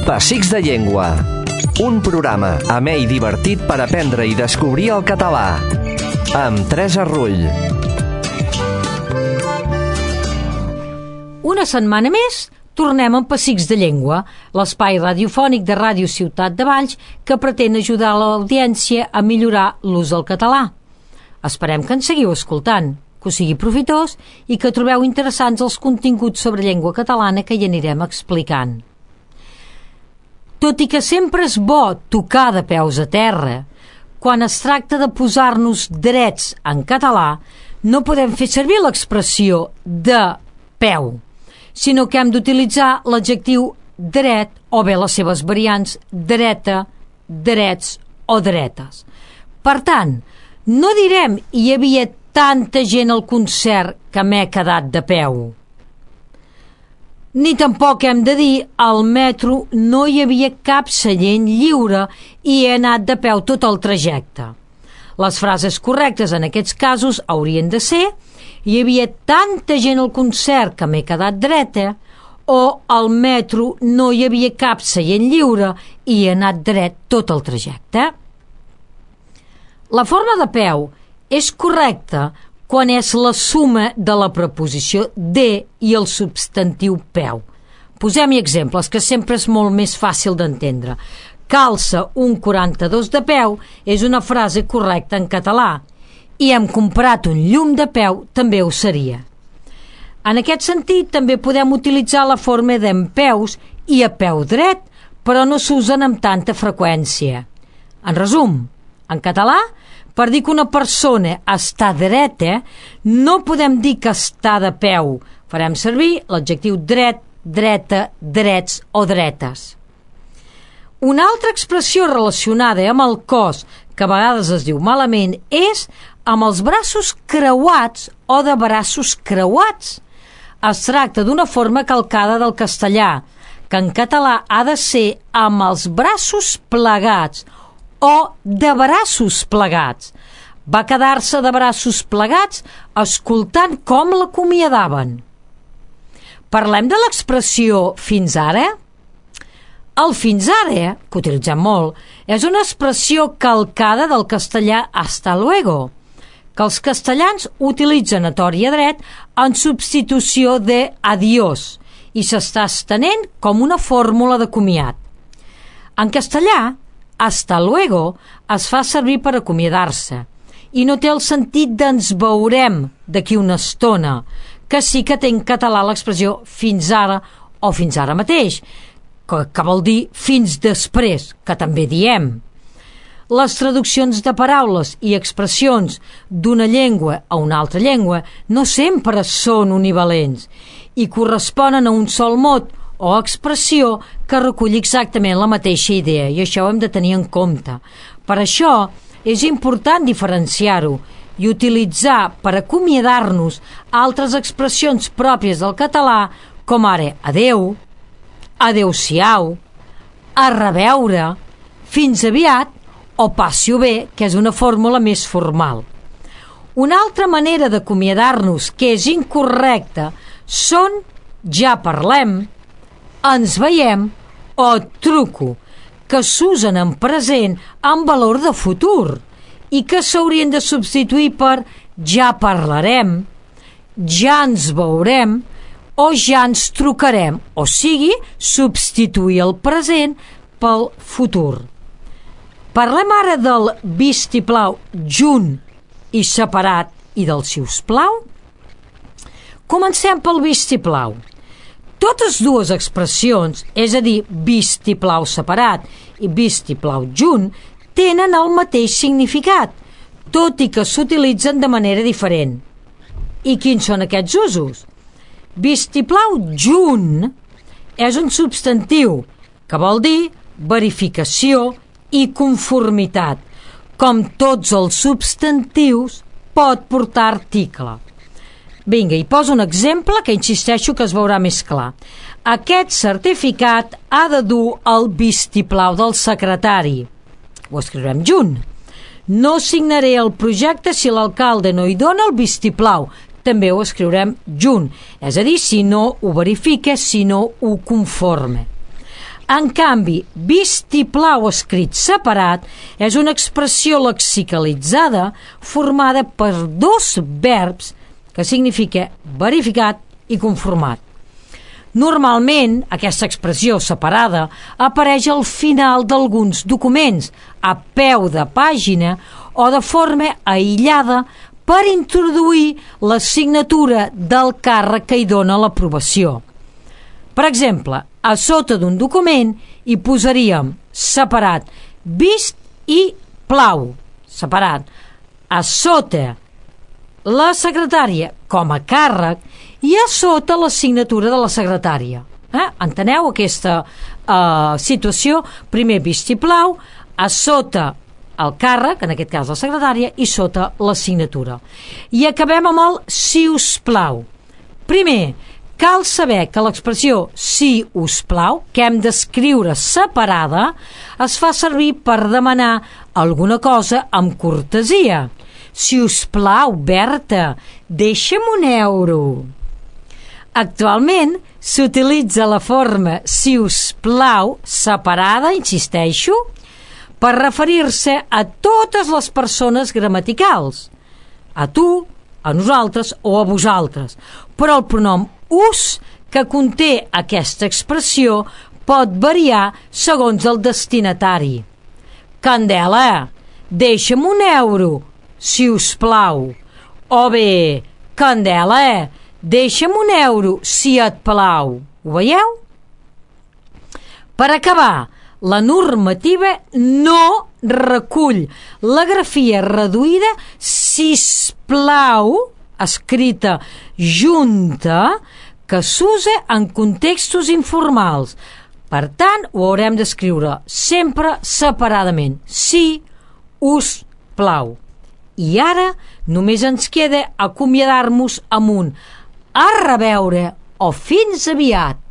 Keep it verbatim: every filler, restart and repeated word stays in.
Pessics de Llengua, un programa amè i divertit per aprendre i descobrir el català, amb Teresa Rull. Una setmana més tornem amb Pessics de Llengua, l'espai radiofònic de Ràdio Ciutat de Valls que pretén ajudar l'audiència a millorar l'ús del català. Esperem que ens seguiu escoltant, que us sigui profitós i que trobeu interessants els continguts sobre llengua catalana que hi anirem explicant. Tot i que sempre és bo tocar de peus a terra, quan es tracta de posar-nos drets en català, no podem fer servir l'expressió de peu, sinó que hem d'utilitzar l'adjectiu dret o bé les seves variants dreta, drets o dretes. Per tant, no direm hi havia tanta gent al concert que m'he quedat de peu. Ni tampoc hem de dir al metro no hi havia cap seient lliure i he anat de peu tot el trajecte. Les frases correctes en aquests casos haurien de ser hi havia tanta gent al concert que m'he quedat dreta o al metro no hi havia cap seient lliure i he anat dret tot el trajecte. La forma de peu és correcta quan és la suma de la preposició de i el substantiu peu. Posem-hi exemples, que sempre és molt més fàcil d'entendre. Calça un quaranta-dos de peu és una frase correcta en català i hem comprat un llum de peu també ho seria. En aquest sentit, també podem utilitzar la forma d'empeus i a peu dret, però no s'usen amb tanta freqüència. En resum, en català, per dir que una persona està dreta, no podem dir que està de peu. Farem servir l'adjectiu dret, dreta, drets o dretes. Una altra expressió relacionada amb el cos, que a vegades es diu malament, és amb els braços creuats o de braços creuats. Es tracta d'una forma calcada del castellà, que en català ha de ser amb els braços plegats o de braços plegats. Va quedar-se de braços plegats escoltant com l'acomiadaven. Parlem de l'expressió fins ara? El fins ara, que utilitzem molt, és una expressió calcada del castellà hasta luego, que els castellans utilitzen a tort i a dret en substitució de adiós i s'està estenent com una fórmula de comiat. En castellà, hasta luego es fa servir per acomiadar-se i no té el sentit d'ens veurem d'aquí una estona, que sí que té en català l'expressió fins ara o fins ara mateix, que, que vol dir fins després, que també diem. Les traduccions de paraules i expressions d'una llengua a una altra llengua no sempre són univalents i corresponen a un sol mot o expressió que recull exactament la mateixa idea, i això ho hem de tenir en compte. Per això és important diferenciar-ho i utilitzar per acomiadar-nos altres expressions pròpies del català, com ara adeu, adeu-siau, a reveure, fins aviat o passi-ho bé, que és una fórmula més formal. Una altra manera d'acomiadar-nos que és incorrecta són ja parlem, ens veiem o truco, que s'usen en present amb valor de futur i que s'haurien de substituir per ja parlarem, ja ens veurem o ja ens trucarem, o sigui, substituir el present pel futur. Parlem ara del vistiplau junt i separat i del siusplau. Comencem pel vistiplau. Totes dues expressions, és a dir, vistiplau separat i vistiplau junt, tenen el mateix significat, tot i que s'utilitzen de manera diferent. I quins són aquests usos? Vistiplau junt és un substantiu que vol dir verificació i conformitat. Com tots els substantius, pot portar article. Vinga, hi poso un exemple que insisteixo que es veurà més clar. Aquest certificat ha de dur el vistiplau del secretari. Ho escriurem junt. No signaré el projecte si l'alcalde no hi dona el vistiplau. També ho escriurem junt. És a dir, si no ho verifica, si no ho conforma. En canvi, vistiplau escrit separat és una expressió lexicalitzada formada per dos verbs que significa verificat i conformat. Normalment, aquesta expressió separada apareix al final d'alguns documents, a peu de pàgina o de forma aïllada per introduir la signatura del càrrec que hi dona l'aprovació. Per exemple, a sota d'un document hi posaríem separat vist i plau, separat. A sota la secretària com a càrrec i a sota la signatura de la secretària. Eh? Enteneu aquesta eh, situació? Primer vistiplau, a sota el càrrec, en aquest cas la secretària, i sota la signatura. I acabem amb el si us plau. Primer, cal saber que l'expressió si us plau, que hem d'escriure separada, es fa servir per demanar alguna cosa amb cortesia. Si us plau, Berta, deixa'm un euro. Actualment s'utilitza la forma si us plau separada, insisteixo, per referir-se a totes les persones gramaticals, a tu, a nosaltres o a vosaltres, però el pronom us que conté aquesta expressió pot variar segons el destinatari. Candela, deixa'm un euro, si us plau. O bé, Candela, deixa'm un euro, si et plau. Ho veieu? Per acabar, la normativa no recull la grafia reduïda sisplau, escrita junta, que s'usa en contextos informals. Per tant, ho haurem d'escriure sempre separadament. Si us plau. I ara només ens queda acomiadar-nos amb un a reveure o fins aviat.